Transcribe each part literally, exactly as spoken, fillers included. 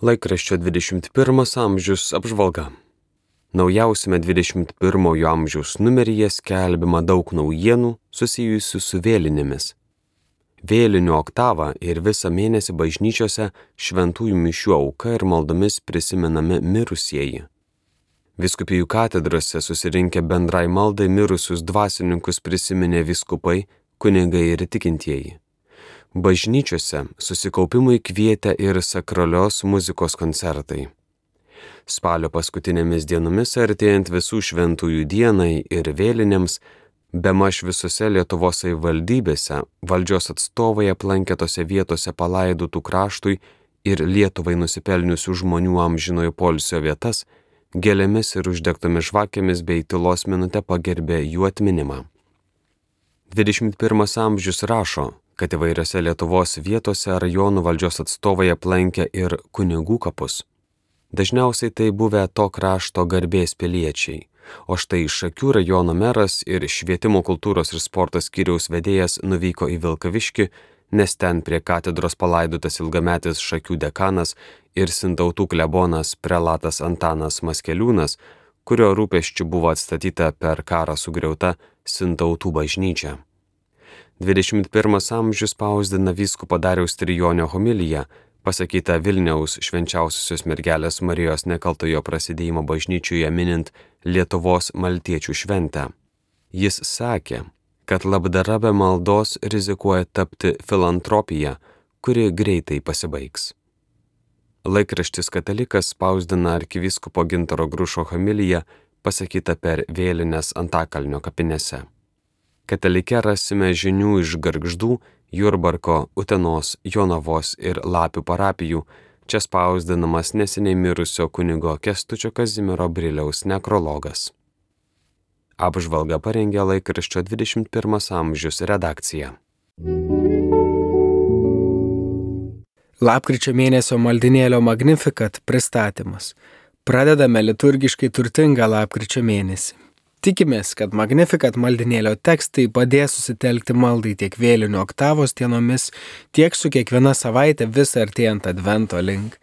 Laikraščio dvidešimt pirmas amžius apžvalga. Naujausiame dvidešimt pirmojo amžiaus numeryje skelbiama daug naujienų susijusių su vėlinėmis. Vėlinių oktavą ir visą mėnesį bažnyčiose šventųjų mišių auka ir maldomis prisimenami mirusieji. Vyskupijų katedrose susirinkę bendrai maldai mirusius dvasininkus prisiminė vyskupai, kunigai ir tikintieji. Bažnyčiose susikaupimui kvietė ir sakralios muzikos koncertai. Spalio paskutinėmis dienomis artėjant visų šventųjų dienai ir vėlinėms, bemaž visose Lietuvos savivaldybėse valdžios atstovai aplankė tose vietose palaidotų kraštui ir Lietuvai nusipelniusių žmonių amžinojo poilsio vietas, gėlėmis ir uždegtomis žvakėmis bei tylos minute pagerbė jų atminimą. dvidešimt pirmas amžius rašo, kad įvairiose Lietuvos vietose rajonų valdžios atstovai aplankė ir kunigų kapus. Dažniausiai tai buvę to krašto garbės piliečiai, o štai Šakių rajono meras ir švietimo kultūros ir sporto skyriaus vedėjas nuvyko į Vilkaviškį, nes ten prie katedros palaidotas ilgametis Šakių dekanas ir Sintautų klebonas prelatas Antanas Maskeliūnas, kurio rūpesčiu buvo atstatyta per karą sugriauta Sintautų bažnyčia. dvidešimt pirmas amžius spausdina vyskupo Dariaus Trijonio homiliją, pasakyta Vilniaus švenčiausiosios mergelės Marijos nekaltojo prasidėjimo bažnyčioje minint Lietuvos maltiečių šventę. Jis sakė, kad labdara be maldos rizikuoja tapti filantropija, kuri greitai pasibaigs. Laikraštis Katalikas spausdina arkivyskupo Gintaro Grušo homiliją, pasakyta per vėlines Antakalnio kapinėse. Katalike rasime žinių iš Gargždų, Jurbarko, Utenos, Jonavos ir Lapių parapijų, čia spausdinamas neseniai mirusio kunigo Kęstučio Kazimiero Briliaus nekrologas. Apžvalgą parengė laikraščio dvidešimt pirmas amžius redakcija. Lapkričio mėnesio maldinėlio Magnificat pristatymas. Pradedame liturgiškai turtingą lapkričio mėnesį. Tikimės, kad Magnificat maldinėlio tekstai padės susitelkti maldai tiek vėlinių oktavos dienomis, tiek su kiekviena savaitė vis artėjant advento link.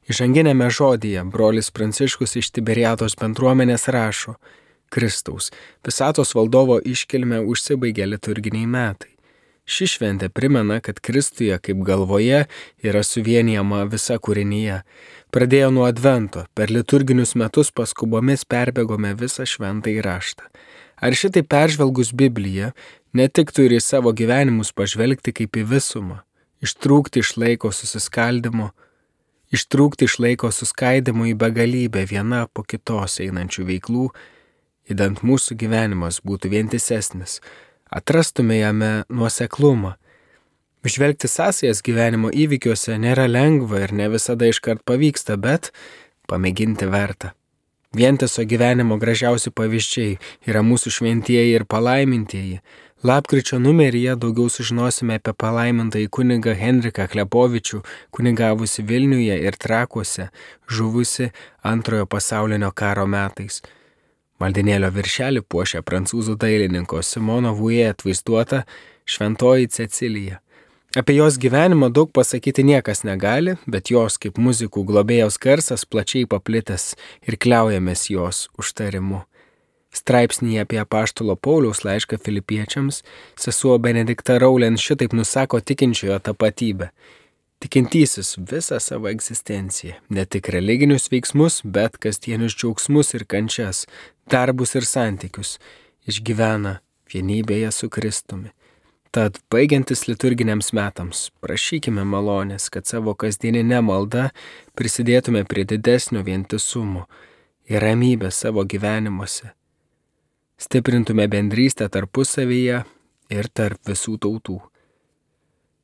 Įžanginėme žodyje brolis Pranciškus iš Tiberiados bendruomenės rašo: Kristaus, visatos valdovo iškilme užsibaigė liturginiai metai. Ši šventė primena, kad Kristuje kaip galvoje yra suvienijama visa kūrinyje. Pradėjo nuo advento, per liturginius metus paskubomis perbėgome visą šventąjį raštą. Ar šitai peržvelgus Bibliją, ne tik turi savo gyvenimus pažvelgti kaip į visumą, ištrūkti iš laiko susiskaldimo, ištrūkti iš laiko suskaidimo į begalybę viena po kitos einančių veiklų, idant mūsų gyvenimas būtų vientisesnis, atrastume jame nuoseklumą. Žvelgti sąsajas gyvenimo įvykiuose nėra lengva ir ne visada iškart pavyksta, bet pamėginti verta. Vientiso gyvenimo gražiausi pavyzdžiai yra mūsų šventieji ir palaimintieji. Lapkričio numeryje daugiau sužinosime apie palaimintąjį kunigą Henriką Klepovičių, kunigavusi Vilniuje ir Trakuose, žuvusi antrojo pasaulinio karo metais. Maldinėlio viršelį puošia prancūzų dailininko Simono Vuje atvaizduota šventoji Cecilija. Apie jos gyvenimą daug pasakyti niekas negali, bet jos kaip muzikų globėjos garsas plačiai paplitęs ir kliaujamės jos užtarimu. Straipsnyje apie apaštalo Pauliaus laišką Filipiečiams sesuo Benedikta Raulen šitaip nusako tikinčiojo tapatybę. Tikintysis visą savo egzistenciją, ne tik religinius veiksmus, bet kasdienius džiaugsmus ir kančias, darbus ir santykius, išgyvena vienybėje su Kristumi. Tad, baigiantis liturginiams metams, prašykime malonės, kad savo kasdieninę maldą prisidėtume prie didesnio vientisumo ir ramybės savo gyvenimuose. Stiprintume bendrystę tarpusavyje ir tarp visų tautų.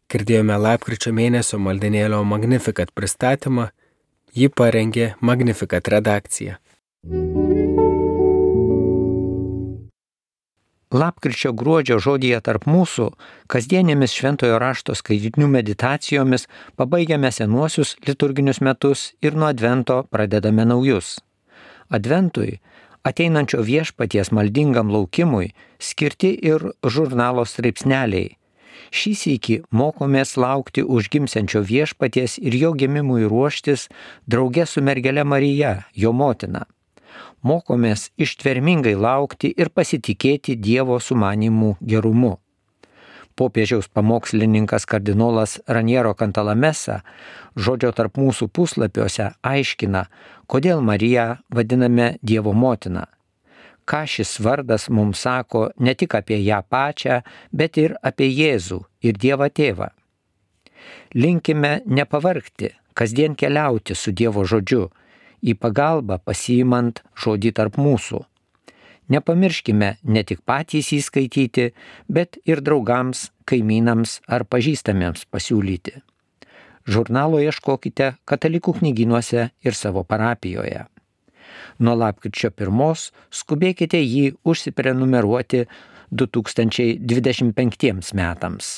Girdėjome lapkričio mėnesio maldinėlio Magnificat pristatymą, jį parengė Magnificat redakcija. Lapkričio gruodžio žodyje tarp mūsų kasdienėmis šventojo rašto skaitinių meditacijomis pabaigiame senuosius liturginius metus ir nuo advento pradedame naujus. Adventui, ateinančio viešpaties maldingam laukimui, skirti ir žurnalo straipsneliai. Šį sykį mokomės laukti užgimsiančio viešpaties ir jo gimimui ruoštis drauge su mergele Marija, jo motina. Mokomės ištvermingai laukti ir pasitikėti Dievo sumanimų gerumu. Popiežiaus pamokslininkas kardinolas Raniero Cantalamessa žodžio tarp mūsų puslapiuose aiškina, kodėl Mariją vadiname Dievo motina. Ką šis vardas mums sako ne tik apie ją pačią, bet ir apie Jėzų ir Dievą Tėvą. Linkime nepavargti, kasdien keliauti su Dievo žodžiu, į pagalbą pasiimant žodį tarp mūsų. Nepamirškime ne tik patys įskaityti, bet ir draugams, kaimynams ar pažįstamiems pasiūlyti. Žurnalo ieškokite katalikų knygynuose ir savo parapijoje. Nuo lapkričio pirmos skubėkite jį užsiprenumeruoti du tūkstančiai dvidešimt penktiems metams.